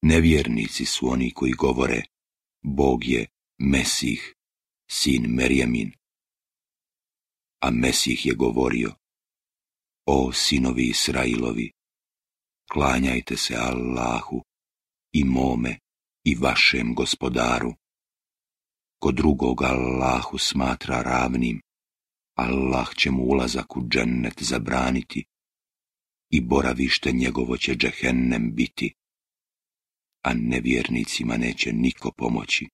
Nevjernici su oni koji govore: Bog je Mesih, sin Merjemin. A Mesih je govorio: O sinovi Israilovi, klanjajte se Allahu i mome i vašem gospodaru. Ko drugog Allahu smatra ravnim, Allah će mu ulazak u džennet zabraniti i boravište njegovo će džehennem biti, a nevjernicima neće niko pomoći.